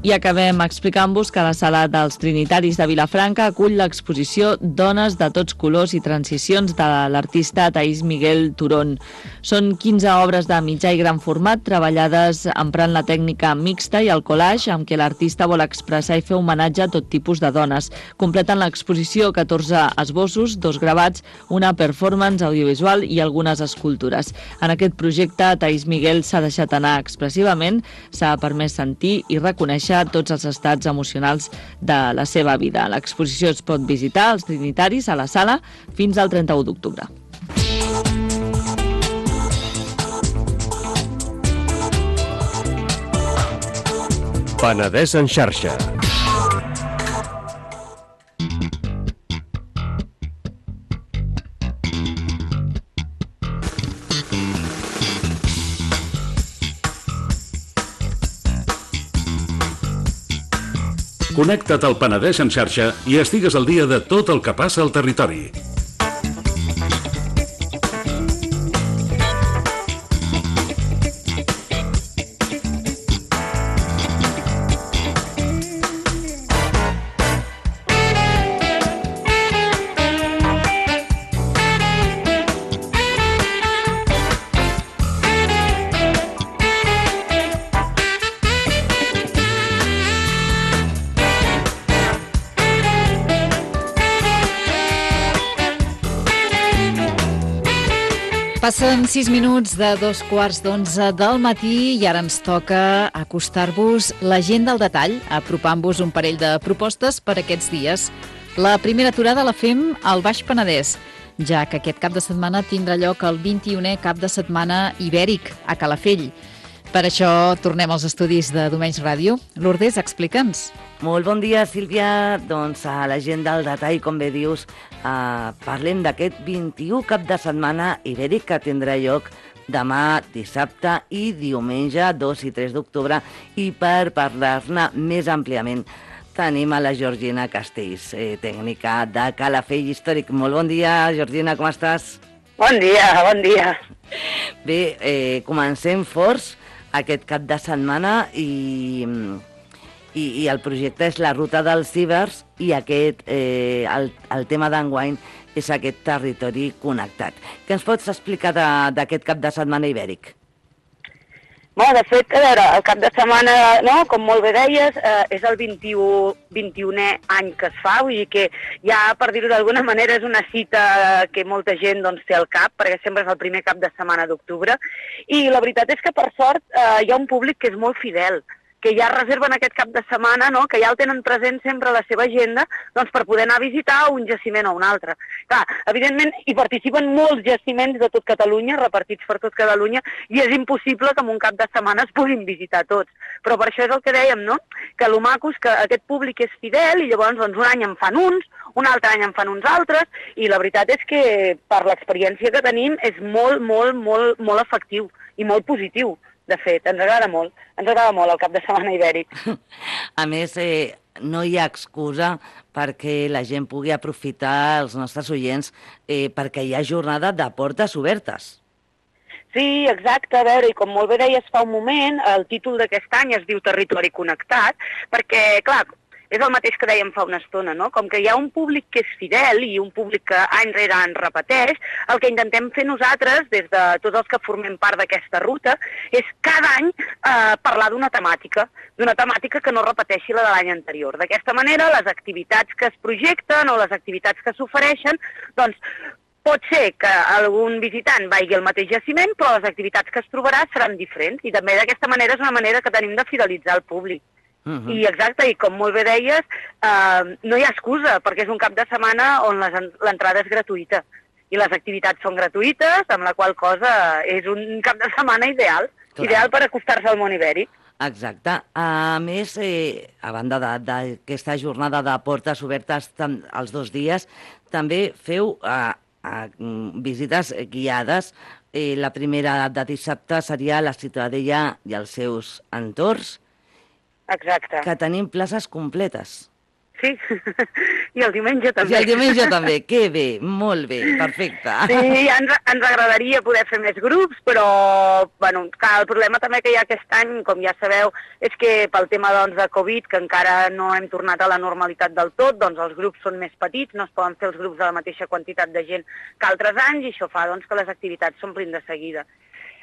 I acabem explicant-vos que la Sala dels Trinitaris de Vilafranca acull l'exposició Dones de tots colors i transicions de l'artista Thaís Miguel Turón. Són quinze obres de mitjà i gran format treballades emprant la tècnica mixta i el collage amb què l'artista vol expressar i fer homenatge a tot tipus de dones. Completen l'exposició catorze esbossos, dos gravats, una performance audiovisual i algunes escultures. En aquest projecte, Thaís Miguel s'ha deixat anar expressivament, s'ha permès sentir i reconèixer tots els estats emocionals de la seva vida. L'exposició es pot visitar als Trinitaris a la sala fins al trenta-u d'octubre. Penedès en xarxa. Connecta't al Penedès en xarxa i estigues al dia de tot el que passa al territori. Passen sis minuts de dos quarts d'onze del matí i ara ens toca acostar-vos l'agenda al detall, apropant-vos un parell de propostes per aquests dies. La primera aturada la fem al Baix Penedès, ja que aquest cap de setmana tindrà lloc el vint-i-unè cap de setmana ibèric a Calafell. Per això tornem als estudis de Domenys Ràdio. Lourdes, explica'ns. Molt bon dia, Sílvia. Doncs a l'agenda al detall, com bé dius, eh, parlem d'aquest vint-i-u cap de setmana ibèric que tindrà lloc demà, dissabte i diumenge dos i tres d'octubre. I per parlar-ne més àmpliament tenim a la Georgina Castells, eh, tècnica de Calafell Històric. Molt bon dia, Georgina, com estàs? Bon dia, bon dia. Bé, eh, comencem forts aquest cap de setmana i... I, i el projecte és la ruta dels cibers i aquest, eh, el, el tema d'enguany és aquest territori connectat. Què ens pots explicar d'aquest cap de setmana ibèric? Bueno, de fet, a veure, el cap de setmana, no, com molt bé deies, eh, és el vint-i-u, vint-i-unè any que es fa, vull dir que ja, per dir-ho d'alguna manera, és una cita que molta gent doncs, té al cap, perquè sempre és el primer cap de setmana d'octubre, i la veritat és que, per sort, eh, hi ha un públic que és molt fidel, que ja reserven aquest cap de setmana, no? Que ja el tenen present sempre a la seva agenda doncs, per poder anar a visitar un jaciment o un altre. Clar, evidentment, hi participen molts jaciments de tot Catalunya, repartits per tot Catalunya, i és impossible que en un cap de setmana es puguin visitar tots. Però per això és el que dèiem, no? Que lo maco és que aquest públic és fidel i llavors doncs, un any en fan uns, un altre any en fan uns altres, i la veritat és que per l'experiència que tenim és molt, molt, molt, molt efectiu i molt positiu. De fet, ens agrada molt, ens agrada molt el cap de setmana ibèric. A més, eh, no hi ha excusa perquè la gent pugui aprofitar, els nostres oients, eh, perquè hi ha jornada de portes obertes. Sí, exacte, a veure, i com molt bé deies fa un moment, el títol d'aquest any es diu Territori Connectat, perquè, clar, és el mateix que dèiem fa una estona, no? Com que hi ha un públic que és fidel i un públic que any rere any repeteix, el que intentem fer nosaltres, des de tots els que formem part d'aquesta ruta, és cada any eh, parlar d'una temàtica, d'una temàtica que no repeteixi la de l'any anterior. D'aquesta manera, les activitats que es projecten o les activitats que s'ofereixen, doncs, pot ser que algun visitant vagi al mateix jaciment, però les activitats que es trobarà seran diferents. I també d'aquesta manera és una manera que tenim de fidelitzar el públic. Uh -huh. I exacte, i com molt bé deies, eh, no hi ha excusa, perquè és un cap de setmana on l'entrada és gratuïta. I les activitats són gratuïtes, amb la qual cosa és un cap de setmana ideal, Clar. ideal per acostar-se al món ibèric. Exacte. A més, eh, a banda d'aquesta jornada de portes obertes els dos dies, també feu eh, eh, visites guiades. Eh, la primera de dissabte seria la Ciutadella i els seus entorns, Exacte. que tenim places completes. Sí, i el diumenge també. I el diumenge també, que bé, molt bé, perfecte. Sí, ens, ens agradaria poder fer més grups, però bueno, clar, el problema també que hi ha aquest any, com ja sabeu, és que pel tema doncs, de Covid, que encara no hem tornat a la normalitat del tot, doncs els grups són més petits, no es poden fer els grups de la mateixa quantitat de gent que altres anys, i això fa doncs, que les activitats s'omplin de seguida.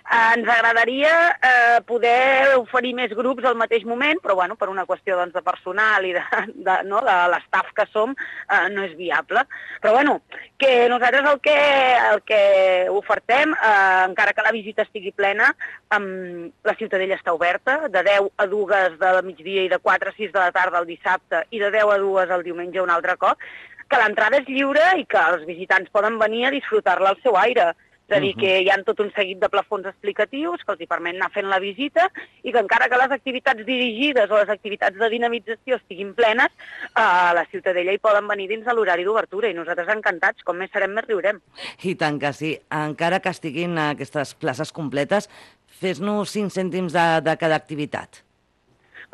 Eh, ens agradaria eh, poder oferir més grups al mateix moment, però bueno, per una qüestió doncs, de personal i de, de, no, de l'estaf que som, eh, no és viable. Però bueno, que nosaltres el que, el que ofertem, eh, encara que la visita estigui plena, eh, la Ciutadella està oberta, de deu a dues de migdia i de quatre a sis de la tarda el dissabte i de deu a dues el diumenge un altre cop, que l'entrada és lliure i que els visitants poden venir a disfrutar-la al seu aire. És a dir, que hi ha tot un seguit de plafons explicatius que els hi permet anar fent la visita i que encara que les activitats dirigides o les activitats de dinamització estiguin plenes, a la Ciutadella hi poden venir dins de l'horari d'obertura i nosaltres encantats, com més serem més riurem. I tant que sí. Encara que estiguin aquestes places completes, fes-nos cinc cèntims de, de cada activitat.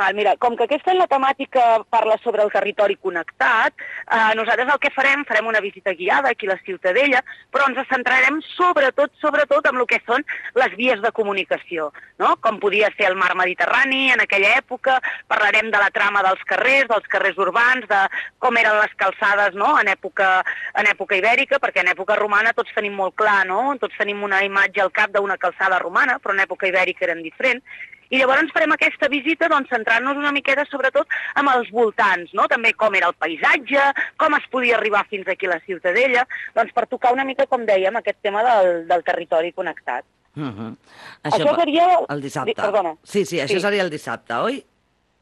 Val, mira, com que aquest any la temàtica parla sobre el territori connectat, eh, nosaltres el que farem, farem una visita guiada aquí a la Ciutadella, però ens centrarem sobretot, sobretot en el que són les vies de comunicació, no? Com podia ser el mar Mediterrani en aquella època, parlarem de la trama dels carrers, dels carrers urbans, de com eren les calçades, no? en, època, en època ibèrica, perquè en època romana tots tenim molt clar, no? Tots tenim una imatge al cap d'una calçada romana, però en època ibèrica eren diferents. I llavors farem aquesta visita doncs, centrant-nos una miqueta sobretot amb els voltants, no? També com era el paisatge, com es podia arribar fins aquí a la Ciutadella, doncs per tocar una mica, com dèiem, aquest tema del, del territori connectat. Uh -huh. Això, això seria... El dissabte. Perdona. Sí, sí, això sí. seria el dissabte, oi?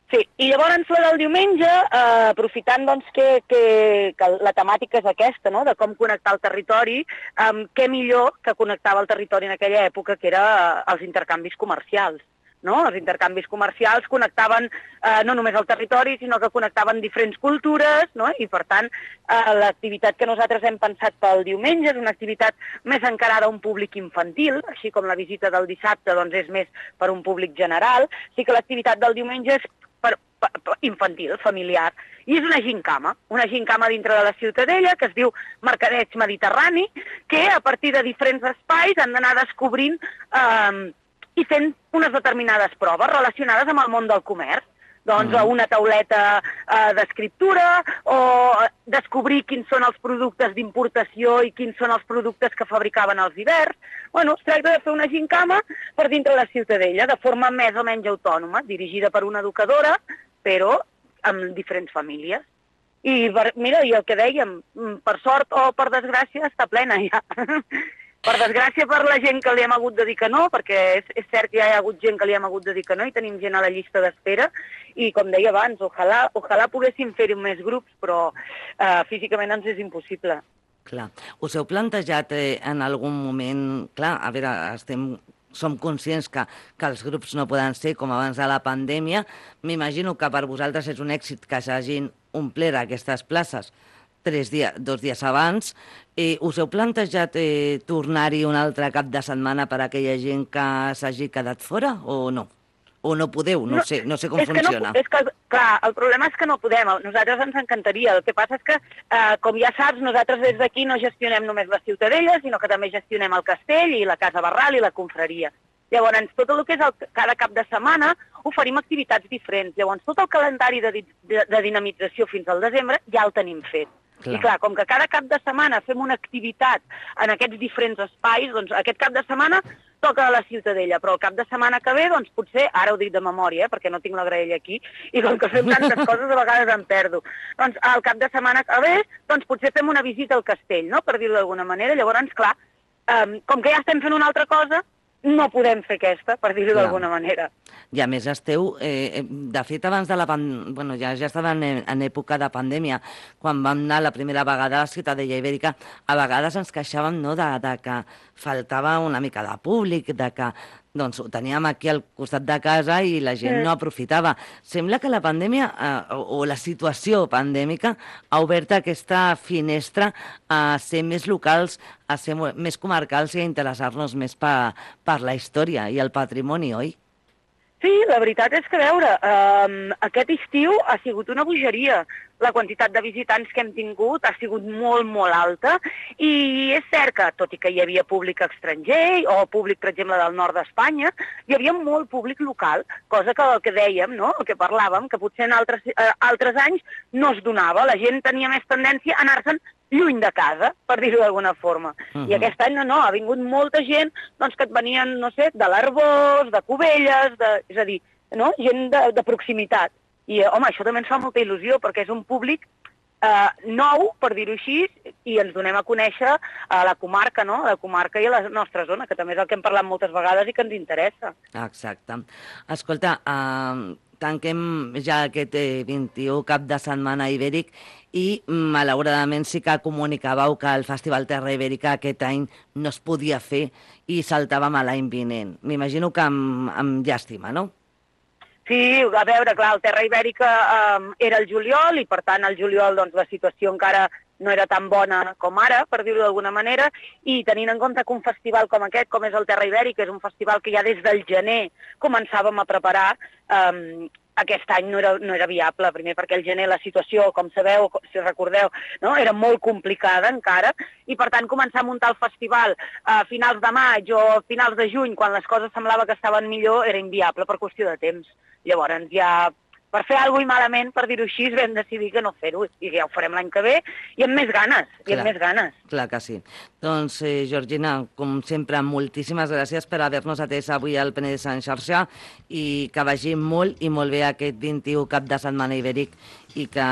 Sí, i llavors la del diumenge, eh, aprofitant doncs, que, que, que la temàtica és aquesta, no? De com connectar el territori, eh, què millor que connectava el territori en aquella època, que era els intercanvis comercials. No? Els intercanvis comercials connectaven eh, no només el territori, sinó que connectaven diferents cultures, no? I per tant eh, l'activitat que nosaltres hem pensat pel diumenge és una activitat més encarada a un públic infantil, així com la visita del dissabte doncs, és més per un públic general, sí que l'activitat del diumenge és per, per, per infantil, familiar, i és una gincama, una gincama dintre de la Ciutadella que es diu Mercadeig Mediterrani, que a partir de diferents espais han d'anar descobrint eh, i fent unes determinades proves relacionades amb el món del comerç. Doncs mm. una tauleta eh, d'escriptura o descobrir quins són els productes d'importació i quins són els productes que fabricaven els hiverns. Bueno, es tracta de fer una gincama per dintre la Ciutadella, de forma més o menys autònoma, dirigida per una educadora, però amb diferents famílies. I mira, i el que dèiem, per sort o per desgràcia, està plena ja. Per desgràcia per la gent que li hem hagut de dir que no, perquè és, és cert que ja hi ha hagut gent que li hem hagut de dir que no i tenim gent a la llista d'espera i, com deia abans, ojalà, ojalà poguéssim fer-hi més grups, però eh, físicament ens és impossible. Clar. Us heu plantejat eh, en algun moment... Clar, a veure, estem... som conscients que, que els grups no poden ser com abans de la pandèmia. M'imagino que per vosaltres és un èxit que s'hagin omplert aquestes places tres dies, dos dies abans. Eh, us heu plantejat eh, tornar-hi un altre cap de setmana per a aquella gent que s'hagi quedat fora o no? O no podeu? No, no sé, no sé com funciona. No, és que, clar, el problema és que no podem. Nosaltres ens encantaria. El que passa és que, eh, com ja saps, nosaltres des d'aquí no gestionem només la Ciutadella, sinó que també gestionem el castell i la Casa Barral i la confraria. Llavors, tot el que és el, cada cap de setmana oferim activitats diferents. Llavors, tot el calendari de, de, de dinamització fins al desembre ja el tenim fet. Clar. I clar, com que cada cap de setmana fem una activitat en aquests diferents espais, doncs aquest cap de setmana toca a la Ciutadella, però el cap de setmana que ve, doncs potser, ara ho dic de memòria, eh, perquè no tinc la graella aquí, i com que fem tantes coses a vegades em perdo. Doncs el cap de setmana que ve, doncs potser fem una visita al castell, no?, per dir-ho d'alguna manera. Llavors, clar, eh, com que ja estem fent una altra cosa, no podem fer aquesta, per dir-ho d'alguna manera. I a més esteu, eh, de fet abans de la pandèmia, bueno, ja, ja estava en, en època de pandèmia, quan vam anar la primera vegada a la Ciutadella Ibèrica, a vegades ens queixàvem, no, de, de que faltava una mica de públic, de que doncs, ho teníem aquí al costat de casa i la gent no aprofitava. Sembla que la pandèmia eh, o, o la situació pandèmica ha obert aquesta finestra a ser més locals, a ser més comarcals i a interessar-nos més per, per la història i el patrimoni, oi? Sí, la veritat és que, a veure, eh, aquest estiu ha sigut una bogeria. La quantitat de visitants que hem tingut ha sigut molt, molt alta i és cert que, tot i que hi havia públic estranger o públic, per exemple, del nord d'Espanya, hi havia molt públic local, cosa que el que dèiem, no?, el que parlàvem, que potser en altres, eh, altres anys no es donava. La gent tenia més tendència a anar-se'n lluny de casa, per dir-ho d'alguna forma. Uh-huh. I aquest any no, no, ha vingut molta gent doncs, que et venien, no sé, de l'Arboç, de Cubelles, de, és a dir, no? Gent de, de proximitat. I, home, això també ens fa molta il·lusió, perquè és un públic eh, nou, per dir-ho així, i ens donem a conèixer a la comarca, no?, a la comarca i a la nostra zona, que també és el que hem parlat moltes vegades i que ens interessa. Exacte. Escolta, eh, tanquem ja aquest eh, vint-i-u cap de setmana ibèric i malauradament sí que comunicàveu que el Festival Terra Ibèrica aquest any no es podia fer i saltàvem a l'any vinent. M'imagino que amb, amb llàstima, no? Sí, a veure, clar, el Terra Ibèrica eh, era el juliol i, per tant, al juliol doncs, la situació encara no era tan bona com ara, per dir-ho d'alguna manera, i tenint en compte que un festival com aquest, com és el Terra Ibèrica, és un festival que ja des del gener començàvem a preparar, eh, aquest any no era, no era viable, primer perquè el gener la situació, com sabeu, si recordeu, no? Era molt complicada encara, i per tant començar a muntar el festival a finals de maig o a finals de juny, quan les coses semblava que estaven millor, era inviable per qüestió de temps. Llavors ja, per fer alguna cosa malament, per dir-ho així, vam decidir que no fer-ho, i ja ho farem l'any que ve, i amb més ganes, i amb més ganes. Clar que sí. Doncs, eh, Georgina, com sempre, moltíssimes gràcies per haver-nos atès avui al Penedès en xarxa i que vagi molt i molt bé aquest vint-i-u cap de setmana ibèric i que,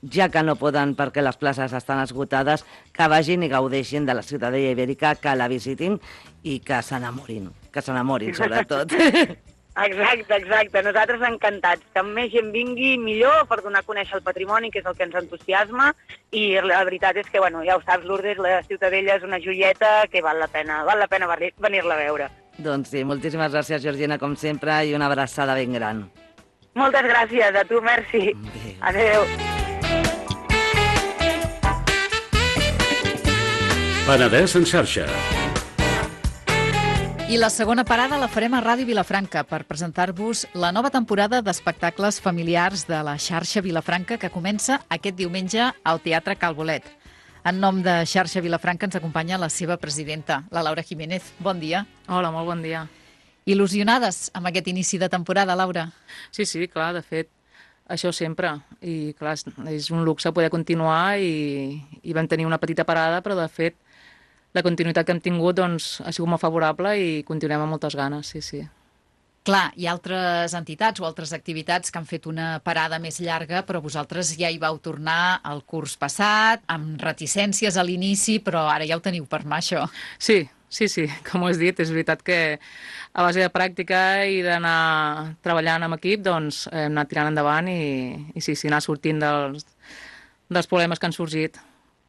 ja que no poden perquè les places estan esgotades, que vagin i gaudeixin de la ciutadella ibèrica, que la visitin i que s'enamorin, que s'enamorin, sobretot. Exacte, exacte. Nosaltres encantats. Que més gent vingui, millor, per donar a conèixer el patrimoni, que és el que ens entusiasma, i la veritat és que, bueno, ja ho saps, Lourdes, la Ciutadella és una joieta que val la pena, val la pena venir-la a veure. Doncs sí, moltíssimes gràcies, Georgina, com sempre, i una abraçada ben gran. Moltes gràcies, a tu, merci. Adéu. Penedès en xarxa. I la segona parada la farem a Ràdio Vilafranca per presentar-vos la nova temporada d'espectacles familiars de la xarxa Vilafranca que comença aquest diumenge al Teatre Cal Bolet. En nom de xarxa Vilafranca ens acompanya la seva presidenta, la Laura Jiménez. Bon dia. Hola, molt bon dia. Il·lusionades amb aquest inici de temporada, Laura? Sí, sí, clar, de fet, això sempre. I clar, és un luxe poder continuar i, i vam tenir una petita parada, però de fet la continuïtat que hem tingut doncs, ha sigut molt favorable i continuem amb moltes ganes, sí, sí. Clar, hi ha altres entitats o altres activitats que han fet una parada més llarga, però vosaltres ja hi vau tornar el curs passat, amb reticències a l'inici, però ara ja ho teniu per mà, això. Sí, sí, sí, com ho has dit, és veritat que a base de pràctica i d'anar treballant amb equip, doncs hem anat tirant endavant i, i sí, sí, anar sortint dels, dels problemes que han sorgit.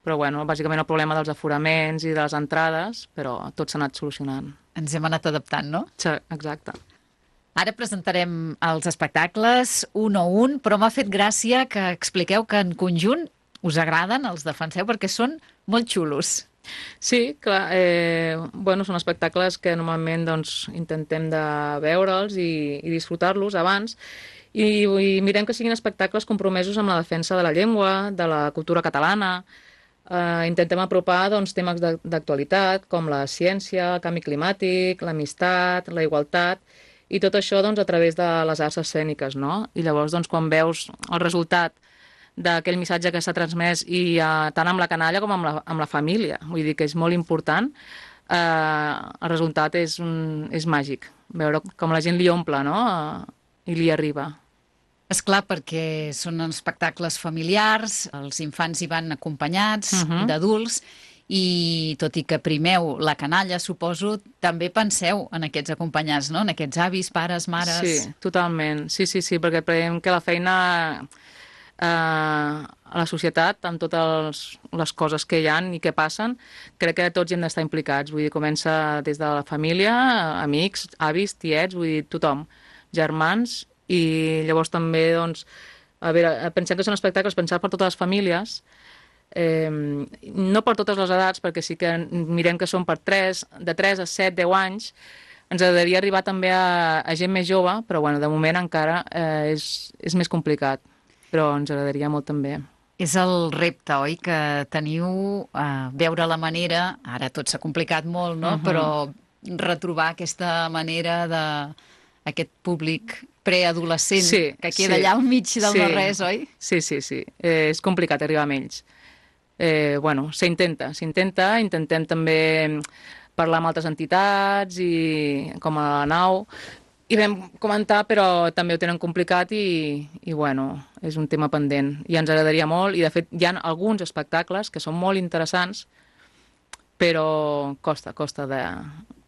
Però, bueno, bàsicament el problema dels aforaments i de les entrades, però tot s'ha anat solucionant. Ens hem anat adaptant, no? Sí, exacte. Ara presentarem els espectacles un a un, però m'ha fet gràcia que expliqueu que en conjunt us agraden, els defenseu, perquè són molt xulos. Sí, clar, eh, bueno, són espectacles que normalment doncs, intentem de veure'ls i, i disfrutar-los abans, i, i mirem que siguin espectacles compromesos amb la defensa de la llengua, de la cultura catalana. Uh, intentem apropar doncs, temes d'actualitat com la ciència, el canvi climàtic, l'amistat, la igualtat i tot això doncs, a través de les arts escèniques, no? I llavors doncs, quan veus el resultat d'aquell missatge que s'ha transmès i uh, tant amb la canalla com amb la, amb la família, vull dir que és molt important, uh, el resultat és, un, és màgic, veure com la gent li omple, no? Uh, i li arriba. És clar, perquè són espectacles familiars, els infants hi van acompanyats, uh-huh. d'adults, i tot i que primeu la canalla, suposo, també penseu en aquests acompanyats, no? En aquests avis, pares, mares... Sí, totalment. Sí, sí, sí, perquè creiem que la feina eh, a la societat, amb totes les coses que hi ha i que passen, crec que tots hi hem d'estar implicats. Vull dir, comença des de la família, amics, avis, tiets, vull dir, tothom, germans... I llavors també, doncs, a veure, pensem que són espectacles pensats per totes les famílies, eh, no per totes les edats, perquè sí que mirem que són per tres, de tres a set, deu anys, ens agradaria arribar també a, a gent més jove, però bueno, de moment encara eh, és, és més complicat, però ens agradaria molt també. És el repte, oi?, que teniu a eh, veure la manera, ara tot s'ha complicat molt, no?, uh-huh. però retrobar aquesta manera de aquest públic preadolescent sí, que queda sí, allà al mig del sí, no-res, oi? Sí, sí, sí. Eh, és complicat arribar amb ells. Eh, bueno, s'intenta, s'intenta. Intentem també parlar amb altres entitats, i com a la nau, i vam comentar, però també ho tenen complicat i, i bueno, és un tema pendent. I ens agradaria molt, i de fet hi ha alguns espectacles que són molt interessants, però costa, costa de,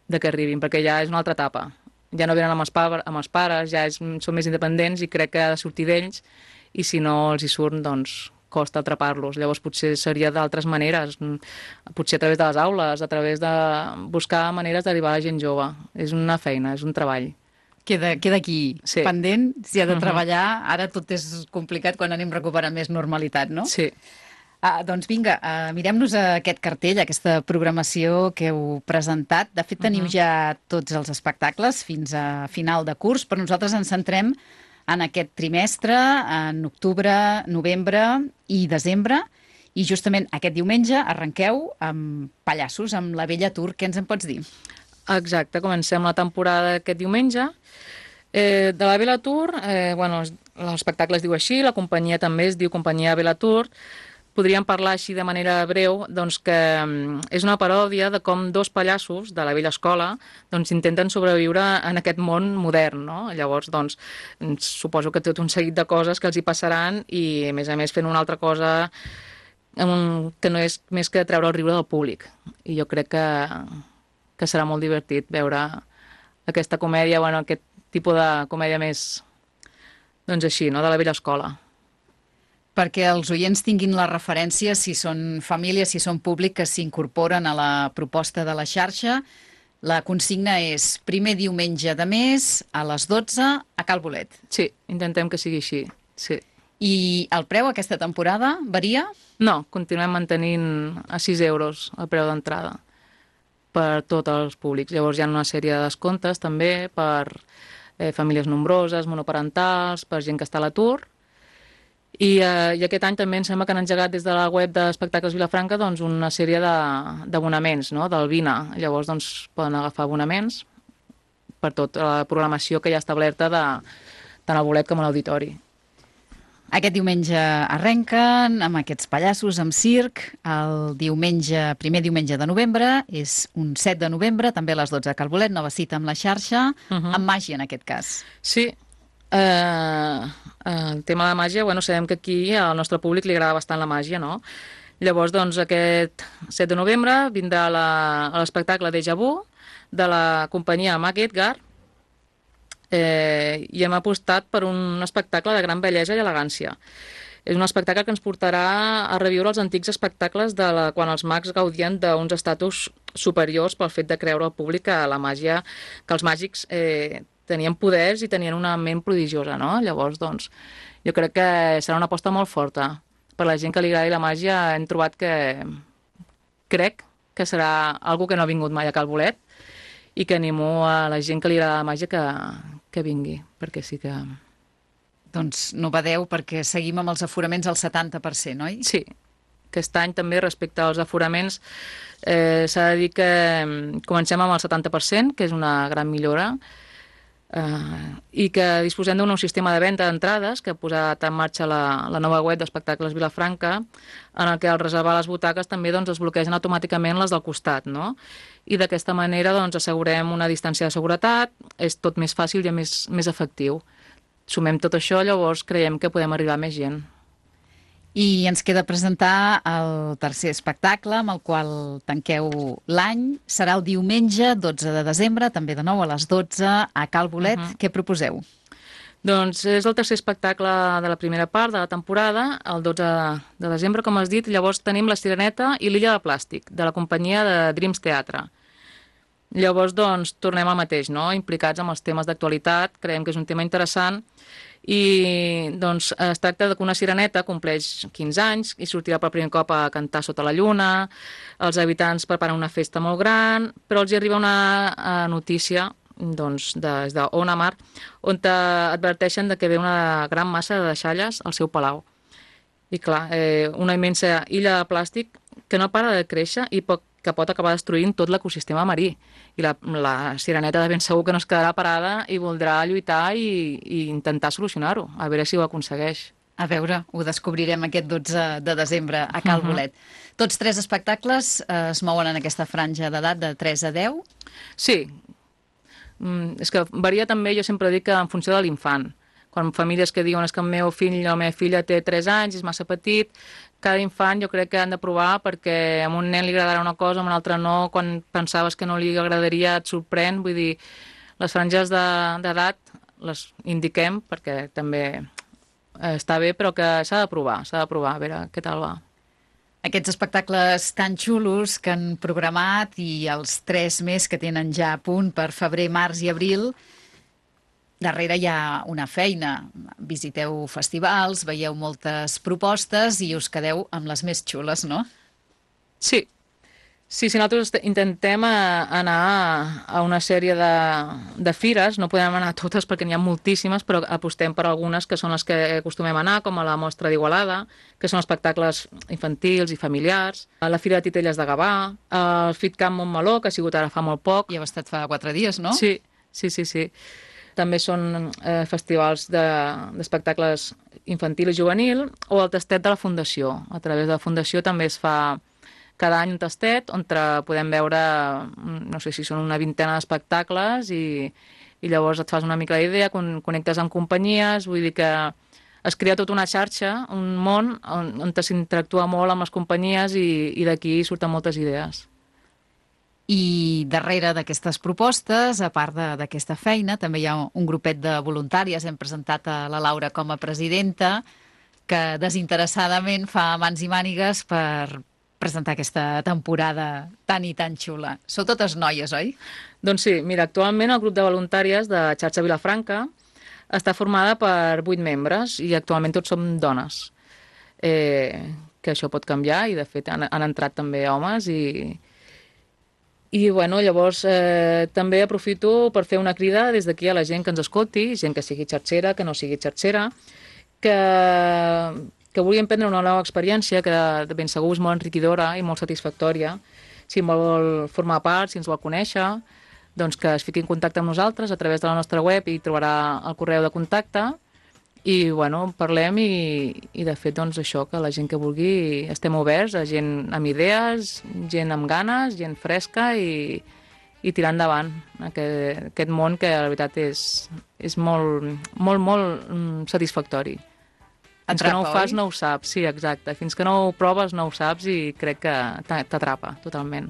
de que arribin, perquè ja és una altra etapa. Ja no venen amb els, pa amb els pares, ja és, són més independents i crec que ha de sortir d'ells, i si no els hi surt, doncs costa atrapar-los. Llavors potser seria d'altres maneres, potser a través de les aules, a través de buscar maneres d'arribar a la gent jove. És una feina, és un treball. Queda, queda aquí sí. pendent, si ha de treballar. Ara tot és complicat quan anem recuperant més normalitat, no? Sí. Ah, doncs vinga, uh, mirem-nos aquest cartell, aquesta programació que heu presentat. De fet, teniu uh-huh. ja tots els espectacles fins a final de curs, però nosaltres ens centrem en aquest trimestre, en octubre, novembre i desembre, i justament aquest diumenge arrenqueu amb pallassos, amb la Vella Tour. Què ens en pots dir? Exacte, comencem la temporada aquest diumenge. Eh, de la Vella Tour, eh, bueno, l'espectacle es diu així, la companyia també es diu Companyia Vella Tour. Podríem parlar així de manera breu, doncs que és una paròdia de com dos pallassos de la vella escola doncs, intenten sobreviure en aquest món modern, no? Llavors, doncs, suposo que té tot un seguit de coses que els hi passaran i, a més a més, fent una altra cosa que no és més que treure el riure del públic. I jo crec que, que serà molt divertit veure aquesta comèdia, bueno, aquest tipus de comèdia més, doncs així, no?, de la vella escola. Perquè els oients tinguin la referència, si són famílies, si són públic, que s'incorporen a la proposta de la xarxa. La consigna és primer diumenge de mes a les dotze a Cal Bolet. Sí, intentem que sigui així, sí. I el preu aquesta temporada varia? No, continuem mantenint a sis euros el preu d'entrada per tots els públics. Llavors hi ha una sèrie de descomptes també per eh, famílies nombroses, monoparentals, per gent que està a l'atur. I, eh, I aquest any també em sembla que han engegat des de la web d'Espectacles Vilafranca doncs, una sèrie d'abonaments, no?, del Vina. Llavors doncs, poden agafar abonaments per tota la programació que hi ha establerta de, tant al bolet com a l'auditori. Aquest diumenge arrenquen amb aquests pallassos, amb circ. El diumenge, primer diumenge de novembre és un set de novembre, també a les dotze a Cal Bolet, nova cita amb la xarxa, uh -huh. amb màgia en aquest cas. Sí. Uh, uh, el tema de la màgia, bueno, sabem que aquí al nostre públic li agrada bastant la màgia, no? Llavors, doncs, aquest set de novembre vindrà l'espectacle Déjà Vu de la companyia Mac Edgar eh, i hem apostat per un espectacle de gran bellesa i elegància. És un espectacle que ens portarà a reviure els antics espectacles de la, quan els mags gaudien d'uns estatus superiors pel fet de creure al públic que la màgia, que els màgics eh, tenien poders i tenien una ment prodigiosa, no? Llavors, doncs, jo crec que serà una aposta molt forta. Per la gent que li agradi la màgia hem trobat que crec que serà algo que no ha vingut mai a Cal Bolet i que animo a la gent que li agrada la màgia que, que vingui, perquè sí que... Doncs no badeu, perquè seguim amb els aforaments al setanta per cent, oi? Sí. Aquest any també respecte als aforaments eh, s'ha de dir que comencem amb el setanta per cent, que és una gran millora, Uh, i que disposem d'un nou sistema de venda d'entrades que ha posat en marxa la, la nova web d'Espectacles Vilafranca, en el que al reservar les butaques també doncs, es bloquegen automàticament les del costat, no? I d'aquesta manera doncs, assegurem una distància de seguretat, és tot més fàcil i més, més efectiu. Sumem tot això, llavors creiem que podem arribar a més gent. I ens queda presentar el tercer espectacle amb el qual tanqueu l'any. Serà el diumenge dotze de desembre, també de nou a les dotze a Cal Bolet. Uh-huh. Què proposeu? Doncs és el tercer espectacle de la primera part de la temporada, el dotze de desembre, com has dit. Llavors tenim La Sireneta i l'Illa de Plàstic, de la companyia de Dreams Teatre. Llavors, doncs, tornem al mateix, no? Implicats amb els temes d'actualitat, creiem que és un tema interessant, i doncs es tracta que una sireneta compleix quinze anys i sortirà per primer cop a cantar sota la lluna, els habitants preparen una festa molt gran, però els hi arriba una notícia doncs, des d'Ona Mar, on adverteixen de que ve una gran massa de deixalles al seu palau. I clar, eh, una immensa illa de plàstic que no para de créixer i poc que pot acabar destruint tot l'ecosistema marí. I la, la sireneta de ben segur que no es quedarà parada i voldrà lluitar i, i intentar solucionar-ho, a veure si ho aconsegueix. A veure, ho descobrirem aquest dotze de desembre a Cal Bolet. Uh-huh. Tots tres espectacles eh, es mouen en aquesta franja d'edat de tres a deu? Sí. Mm, és que varia també, jo sempre dic que en funció de l'infant. Quan famílies que diuen que el meu fill o la meva filla té tres anys, és massa petit, cada infant jo crec que han de provar perquè a un nen li agradarà una cosa, a un altre no, quan pensaves que no li agradaria et sorprèn, vull dir, les franges d'edat les indiquem perquè també està bé, però que s'ha de provar, s'ha de provar, a veure què tal va. Aquests espectacles tan xulos que han programat i els tres més que tenen ja a punt per febrer, març i abril, darrere hi ha una feina. Visiteu festivals, veieu moltes propostes i us quedeu amb les més xules, no? Sí. Sí, si nosaltres intentem anar a una sèrie de, de fires, no podem anar a totes perquè n'hi ha moltíssimes, però apostem per algunes que són les que acostumem a anar, com a la Mostra d'Igualada, que són espectacles infantils i familiars, a la Fira de Titelles de Gavà, al FitCamp Montmeló, que ha sigut ara fa molt poc. I heu estat fa quatre dies, no? Sí, sí, sí, sí. També són eh, festivals d'espectacles de, infantil i juvenil, o el tastet de la Fundació. A través de la Fundació també es fa cada any un tastet on podem veure, no sé si són una vintena d'espectacles i, i llavors et fas una mica la idea, con, connectes amb companyies, vull dir que es crea tota una xarxa, un món on, on s'interactua molt amb les companyies i, i d'aquí surten moltes idees. I darrere d'aquestes propostes, a part d'aquesta feina, també hi ha un grupet de voluntàries. Hem presentat a la Laura com a presidenta, que desinteressadament fa mans i mànigues per presentar aquesta temporada tan i tan xula. Sou totes noies, oi? Doncs sí, mira, actualment el grup de voluntàries de Xarxa Vilafranca està formada per vuit membres i actualment tots som dones. Eh, que això pot canviar i de fet han, han entrat també homes i, i bueno, llavors eh, també aprofito per fer una crida des d'aquí a la gent que ens escolti, gent que sigui xarxera, que no sigui xarxera, que... que vulgui emprendre una nova experiència que de ben segur és molt enriquidora i molt satisfactòria. Si vol formar part, si ens vol conèixer, doncs que es fiqui en contacte amb nosaltres a través de la nostra web i trobarà el correu de contacte i bueno, parlem i, i de fet doncs això, que la gent que vulgui estem oberts a gent amb idees, gent amb ganes, gent fresca i, i tirar endavant aquest, aquest món que la veritat és, és molt, molt, molt satisfactori. Fins que no ho fas no ho saps, sí, exacte. Fins que no ho proves no ho saps i crec que t'atrapa totalment.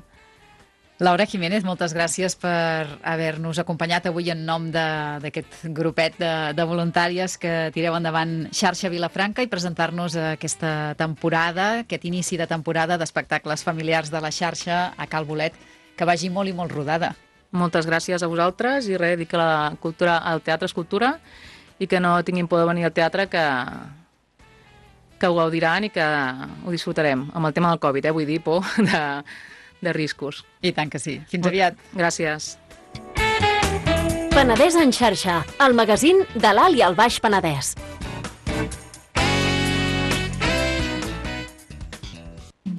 Laura Jiménez, moltes gràcies per haver-nos acompanyat avui en nom d'aquest grupet de, de voluntàries que tireu endavant Xarxa Vilafranca i presentar-nos aquesta temporada, aquest inici de temporada d'espectacles familiars de la xarxa a Cal Bolet, que vagi molt i molt rodada. Moltes gràcies a vosaltres i res, dir que la cultura, el teatre és cultura i que no tinguin por de venir al teatre, que... que ho gaudiran i que ho disfrutarem. Amb el tema del Covid, eh? Vull dir, por de, de riscos. I tant que sí. Fins aviat. Gràcies. Penedès en xarxa, el magazín de l'Alt i el Baix Penedès.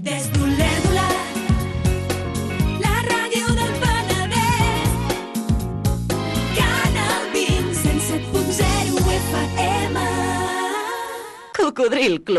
Des d'Olèdula, la ràdio del Penedès, Canal vint, cent set punt zero F M. Cocodril Club.